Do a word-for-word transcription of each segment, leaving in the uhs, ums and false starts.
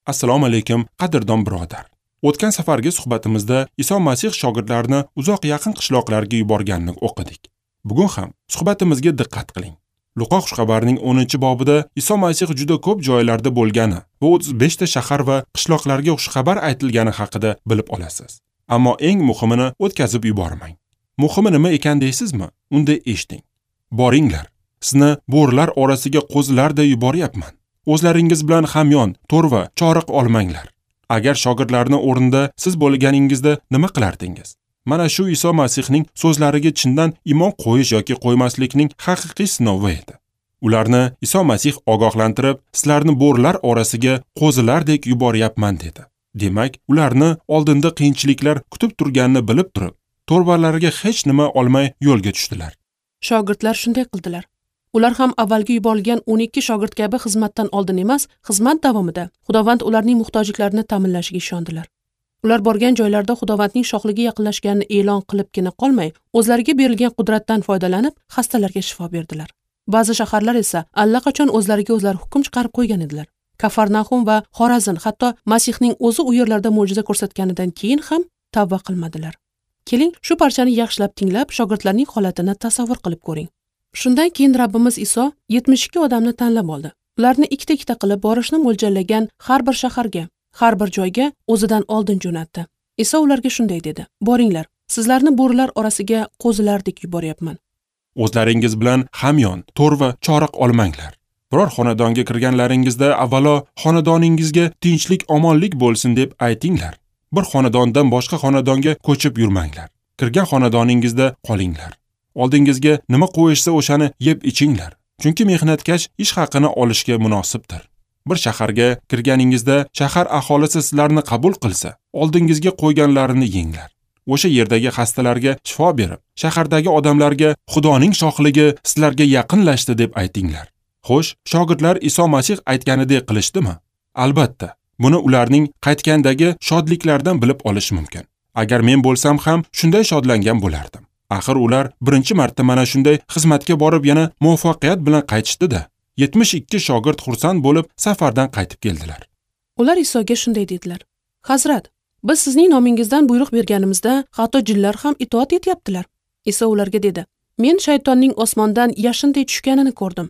Assalomu alaykum, qadrdon birodar. O'tgan safargi suhbatimizda Iso Masih shogirdlarini uzoq yaqin qishloqlarga yuborganini o'qidik. Bugun ham suhbatimizga diqqat qiling. Luqo xushxabarining o'ninchi bobida Iso Masih juda ko'p joylarda bo'lgani va o'ttiz beshta shahar va qishloqlarga xushxabar aytilgani haqida bilib olasiz. Ammo eng muhimini o'tkazib yubormang. Muhimi nima ekan deysizmi? Unda eshiting. Boringlar, sizni bo'rilar orasiga qo'zilarday yuboryapman. O'zlaringiz bilan hamyon, to'rva, choriq olmanglar. Agar shogirdlarning o'rnida siz bo'lganingizda nima qilardingiz? Mana shu Iso Masihning so'zlariga chindan iymon qo'yish yoki qo'ymaslikning haqiqiy sinovi edi. Ularni Iso Masih ogohlantirib, sizlarni bo'rilar orasiga qo'zilardek yuboryapman dedi. Demak, ularni oldinda qiyinchiliklar kutib turganini bilib turib, to'rvalariga hech nima olmay yo'lga tushdilar. Shogirdlar shunday qildilar. Ular ham avvalgi yuborilgan o'n ikki shogird kabi xizmatdan oldin emas, xizmat davomida Xudovand ularning muhtojliklarini ta'minlashiga ishondilar. Ular borgan joylarda Xudovandning shohligi yaqinlashganini e'lon qilibgina qolmay, o'zlariga berilgan qudratdan foydalanib, xastalarga shifo berdilar. Ba'zi shaharlar esa allaqachon o'zlariga o'zlari hukm chiqarib qo'ygan edilar. Kafarnahum va Xorazn hatto Masihning o'zi u yerlarda mo'jiza ko'rsatganidan keyin ham tavba qilmadilar. Keling, shu parchani yaxshilab tinglab, shogirdlarning holatini tasavvur qilib ko'ring. Shundan keyin Rabbimiz Iso yetmish ikki odamni tanlab oldi. Ularni ikkita-ikkita qilib borishni mo'ljallagan har bir shaharga, har bir joyga o'zidan oldin jo'natdi. Iso ularga shunday dedi: "Boringlar, sizlarni bo'rilar orasiga qo'zilardek yuboryapman. O'zlaringiz bilan hamyon, to'rva, choriq olmanglar. Biror xonadonga kirganlaringizda avvalo xonadoningizga tinchlik, omonlik bo'lsin deb aytinglar. Bir xonadondan boshqa xonadonga ko'chib yurmanglar. Kirgan xonadoningizda qolinglar. Oldingizga nima qo'yishsa o'shani yeb ichinglar. Chunki mehnatkash ish haqini olishga munosibdir. Bir shaharga kirganingizda shahar aholisi sizlarni qabul qilsa, oldingizga qo'yganlarini yenglar. O'sha yerdagi xastalarga shifo berib, shahardagi odamlarga Xudoning shohligi sizlarga yaqinlashdi deb aytinglar." Xo'sh, shogirdlar Iso Masih aytganidek qilishdimi? Albatta, buni ularning qaytgandagi shodliklaridan bilib olish mumkin. Agar men bo'lsam ham shunday shodlangan bo'lardim. Axir ular birinchi marta mana shunday xizmatga borib yana muvaffaqiyat bilan qaytishdi-da. yetmish ikki shogird xursand bo'lib safardan qaytib keldilar. Ular Isoga shunday dedilar: "Hazrat, biz sizning nomingizdan buyruq berganimizda hatto jinlar ham itoat etyaptilar." Iso ularga dedi: "Men shaytonning osmondan yashinday tushganini ko'rdim.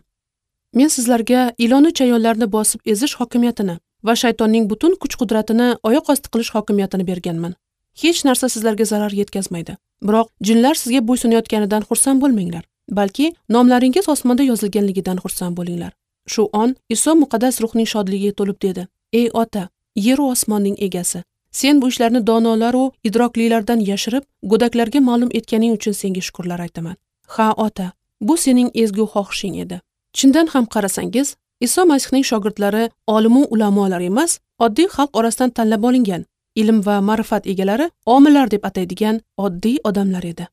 Men sizlarga ilonu chayonlarni bosib ezish hokimiyatini va shaytonning butun kuch-qudratini oyoq osti qilish hokimiyatini berganman. Hech narsa sizlarga zarar yetkazmaydi. Biroq jinlar sizga bo'ysunayotganidan xursand bo'lmanglar, balki nomlaringiz osmonda yozilganligidan xursand bo'linglar." Shu on Iso muqaddas ruhning shodligiga to'lib dedi: "Ey Ota, yer va osmonning egasi, sen bu ishlarni donolar va idroklilardan yashirib, go'daklarga ma'lum etganing uchun senga shukrlar aytaman. Ha, Ota, bu sening ezgu xohishing edi." Chindan ham qarasangiz, Iso Masihning shogirdlari olimu ulamolar emas, oddiy xalq orasidan tanlab olingan, ilm va ma'rifat egalari, omillar deb ataydigan oddiy odamlar edi.